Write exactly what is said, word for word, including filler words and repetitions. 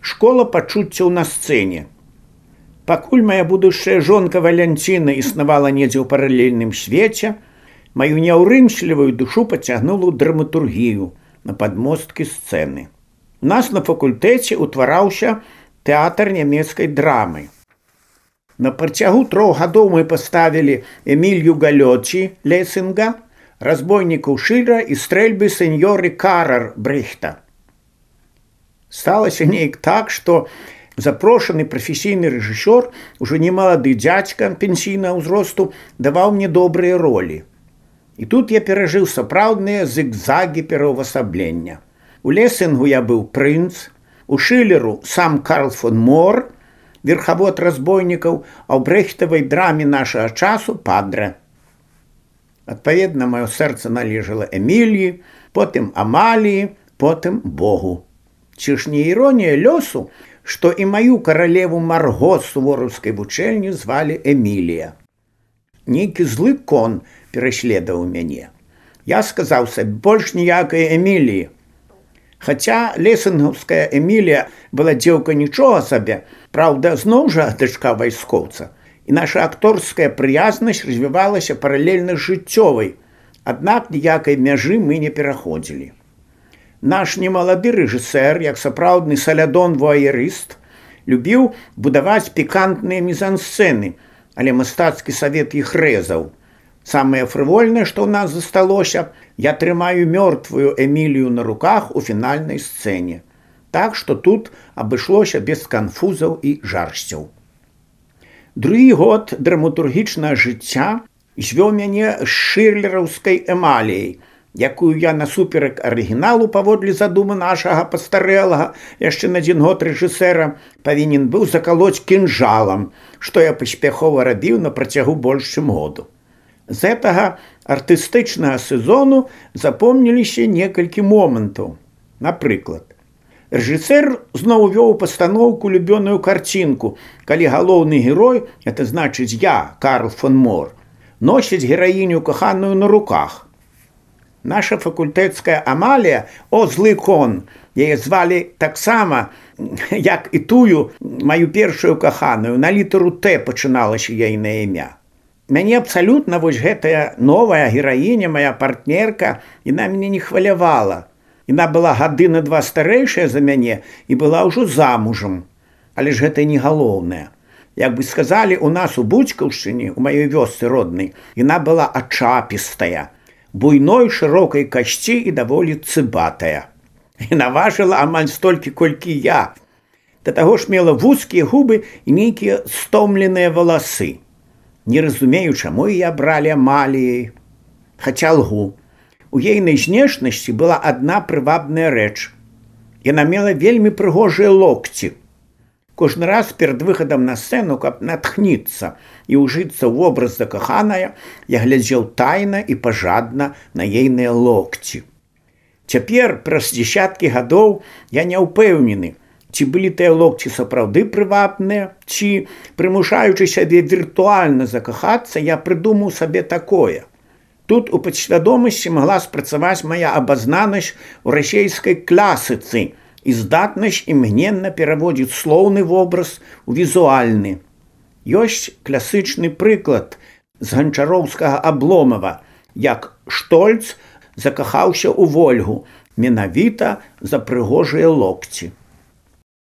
Школа пачуццяў на сцэне. Пакуль моя будучая жонка Валянціна існавала недзе ў паралельным свеце, маю няўрымслівую душу пацягнула ў драматургію на падмосткі сцэны. У нас на факультэце ўтвараўся тэатр нямецкай драмы. На працягу трох гадоў мы паставілі Эмілью Галёці Лесінга, разбойнікаў Шылера і стрэльбы сеньоры Карар Брехта. Сталася неяк так, што запрошаны прафесійны рэжысёр, ужо не малады дзядзька пенсійнага ўзросту, даваў мне добрыя ролі. І тут я перажыў сапраўдныя зігзагі пераўвасаблення. У Лесінгу я быў прынц, у Шылеру сам Карл фон Мор, верхавод разбойнікаў, а ў Брехтавай драме нашага часу падра. Адпаведна, маё сэрца належала Эміліі, потым Амаліі, потым Богу. Ці ж не іронія лёсу, што і маю каралеву Марго з сувораўскай вучэльні звалі Эмілія. Нейкі злы кон пераследаваў мяне. Я сказаў сабе, больш ніякай Эміліі. Хаця лесінгаўская Эмілія была дзеўка нічога сабе, праўда, зноў жа дачка вайскоўца, і наша акторская прыязнасць развівалася паралельна з жыццёвай, аднак ніякай мяжы мы не пераходзілі. Наш немалады рэжысэр, як сапраўдны салядон-вуаерыст, любіў будаваць пікантныя мізансцэны, але мастацкі савет іх рэзаў. Самае фрывольнае, што ў нас засталося, я трымаю мёртвую Эмілію на руках у фінальнай сцэне. Так што тут абышлося без канфузаў і жарсцяў. Другі год драматургічнага жыцця звёў мяне з шылераўскай Эмаліяй, якую я насуперак арыгіналу паводле задумы нашага пастарэлага яшчэ на адзін год рэжысэра павінен быў закалоць кінжалам, што я паспяхова рабіў на працягу больш чым году. З гэтага артыстычнага сезону запомніліся некалькі момантаў. Напрыклад, рэжысэр зноў вёў пастаноўку любёную карцінку, калі галоўны герой, это значыць я, Карл фон Мор, носіць гераіню каханую на руках. Наша факультэцкая Амалія, о, злы кон, яе звалі таксама, як і тую маю першую каханую, на літару Т пачыналася яйнае імя. Мяне абсалютна вось гэтая новая гераіня, моя партнерка, яна мяне не хвалявала. Яна была гады на два старэйшая за мяне і была ўжо замужам. Але ж гэта не галоўнае. Як бы сказалі, у нас у Буцькаўшчыне, у маёй вёсцы роднай, яна была ачапістая, буйной шырокай касці і даволі цыбатая. Яна важыла амаль столькі, колькі я. Да таго ж мела вузкія губы і нейкія стомленыя валасы. Не разумею, чаму я бралі Амаліяй. Хаця лгу. У ейнай знешнасці была адна прывабная рэч. Яна мела вельмі прыгожыя локці. Кожны раз перад выхадам на сцэну, каб натхніцца і ўжыцца ў вобраз закаханая, я глядзеў тайна і пажадна на ейныя локці. Цяпер, праз дзесяткі гадоў, я не ўпэўнены, ці былі тыя локці сапраўды прывабныя, ці, прымушаючы сябе віртуальна закахацца, я прыдумаў сабе такое. Тут у падсвядомасці магла спрацаваць мая абазнанасць у расейскай класыцы і здатнасць імгненна пераводзіць слоўны вобраз у візуальны. Ёсць класычны прыклад з ганчароўскага Абломава, як Штольц закахаўся ў Вольгу, менавіта за прыгожыя локці.